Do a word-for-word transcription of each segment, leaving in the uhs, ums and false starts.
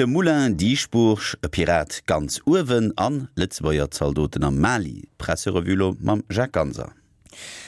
De Moulin Dieschbourg, e Pirat ganz uewen an Lëtzebuerger Zaldoten am Mali. D'Presserevue lo mam Jacques Ganser.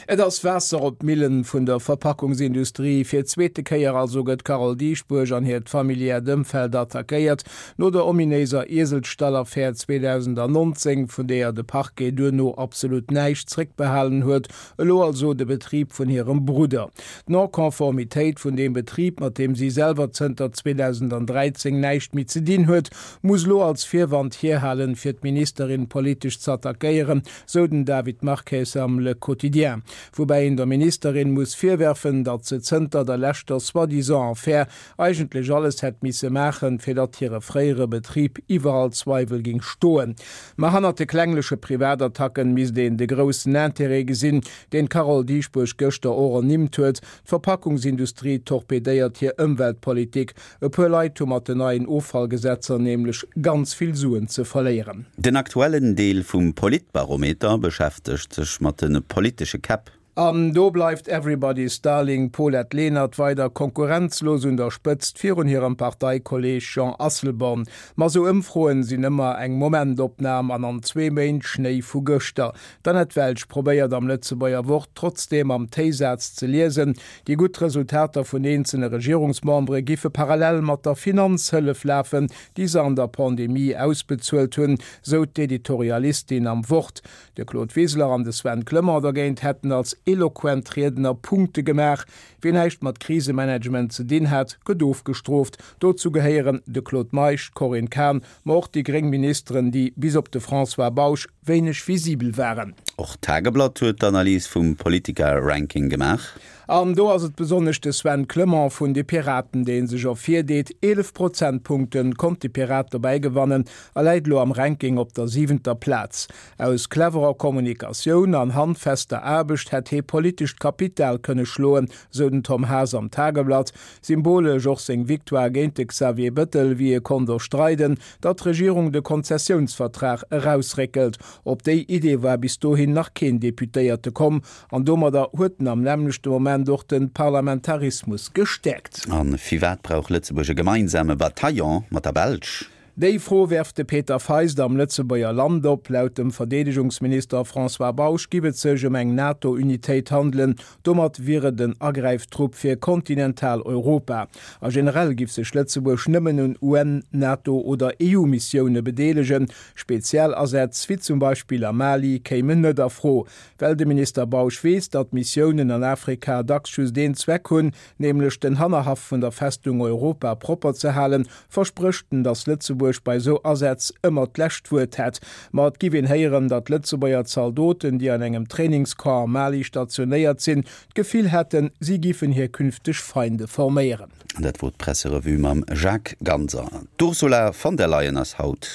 Et ass Waasser op d'Millen vun der Verpackungsindustrie. Fir d'zweete Kéier also gëtt d'Carole Dieschbourg an hiert familiäert Ëmfeld attackéiert. No der ominéiser Ieselstall-Affär zweedausendannonzéng, vun deeër de Parquet duerno absolut näischt zréckbehalen huet, elo also de Betrib vun hirem Brudder. D'Non-Conformitéit vun deem Betrib, mat deem si selwer zënter zweedausendandräizéng näischt méi ze dinn huet, muss elo als Virwand hierhalen, fir d'Ministerin politesch z'attackéieren, sou den David Marques am Le Quotidien. Woubäi een der Ministerin muss virwerfen, datt se zënter der leschter soi-disant Affär eigentlech alles hätt misse maachen, fir datt hire fréiere Betrib iwwerall Zweiwel ging stoen. Ma hannert de klengleche Privatattacken misst een de groussen Interêt gesinn, deen d'Carole Dieschbourg gëschter och ernimmt huet, D'Verpackungsindustrie torpedéiert hir Ëmweltpolitik. E puer Leit hu mat den neien Offallgesetzer nämlech ganz vill Suen ze verléieren. Den aktuellen Deel vum Politbarometer beschäftegt sech mat de politesche Käpp. An do bleift Everybody's Darling Paulette Lenert weider konkurrenzlos un der Spëtzt virun hirem Parteikolleeg Jean Asselborn. Ma sou Ëmfroen sinn ëmmer eng Momentopnam an an zwee Méint Schnéi vu gëschter. D'Annette Welsch probéiert am Lëtzebuerger Wort trotzdeem am Téisaz ze liesen, déi gutt Resultater vun eenzele Regierungsmembere giffe parallel mat der Finanzhëllef lafen, déi se an der Pandemie ausbezuelt hunn, sou d'Editorialistin am Wort. De Claude Wiseler an de Sven Clement dergéint hätten als eloquent Riedner Punkte gemaach. Wien näischt mat Krisemanagement ze dinn hat, gëtt ofgestrooft. Dozou gehéieren de Claude Meisch, d'Corinne Cahen, ma och déi gréng Ministeren, déi bis op de François Bausch wéineg visibel waren. Och d'Tageblatt huet d'Analys vum Politiker-Ranking gemaach. An do ass et besonnesch de Sven Clement vun de Piraten, dee sech ervirdeet. Eelef Prozentpunkte konnt de Pirat dobäi gewannen a läit elo am Ranking op der siwenter Plaz. Aus cleverer Kommunikatioun an handfester Aarbecht hätt hee politescht Kapital kënne schloen, sou den Tom Haas am Tageblatt. Symbolesch och seng Victoire géint de Xavier Bettel, wéi e konnt erstreiden, datt d'Regierung de Konzessiounsvertrag erausréckelt. Op déi Idee war bis dohin nach keen Deputéierte komm an domadder huet en am nämmlechte Moment och de Parlamentarismus gestäerkt. A firwat brauch Lëtzebuerg e gemeinsame Bataillon mat der Belsch? Déi Fro werft de Peter Feist am Lëtzebuerger Land op. Laut dem Verdeedegungsminister François Bausch giff et sech ëm eng NATO-Unitéit handelen. Domat wier et en Agräiftrupp fir kontinental Europa. A generell giff sech Lëtzebuerg nëmmen un U N-, NATO oder E U-Missioune bedeelegen. Speziell Asätz, wéi zum Beispill am Mali, kéimen net a Fro. Well de Minister Bausch weess, datt Missiounen an Afrika dacks just een Zweck hunn, nämlech den Hannerhaff vun der Festung Europa propper ze halen, versprécht en, datt Lëtzebuerg bei esou Asätz ëmmer d'lescht Wuert hätt. Ma et giff een héieren, datt Lëtzebuerger Zaldoten, déi an engem Trainingscamp am Mali stationéiert sinn, d'Gefill hätten, si giffen hir künfteg Feinde forméieren. Dat wor d'Presserevue mam Jacques Ganser. D'Ursula von der Leyen ass haut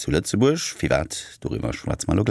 zu Lëtzebuerg. Firwat? Doriwwer schwätze mer elo gläich.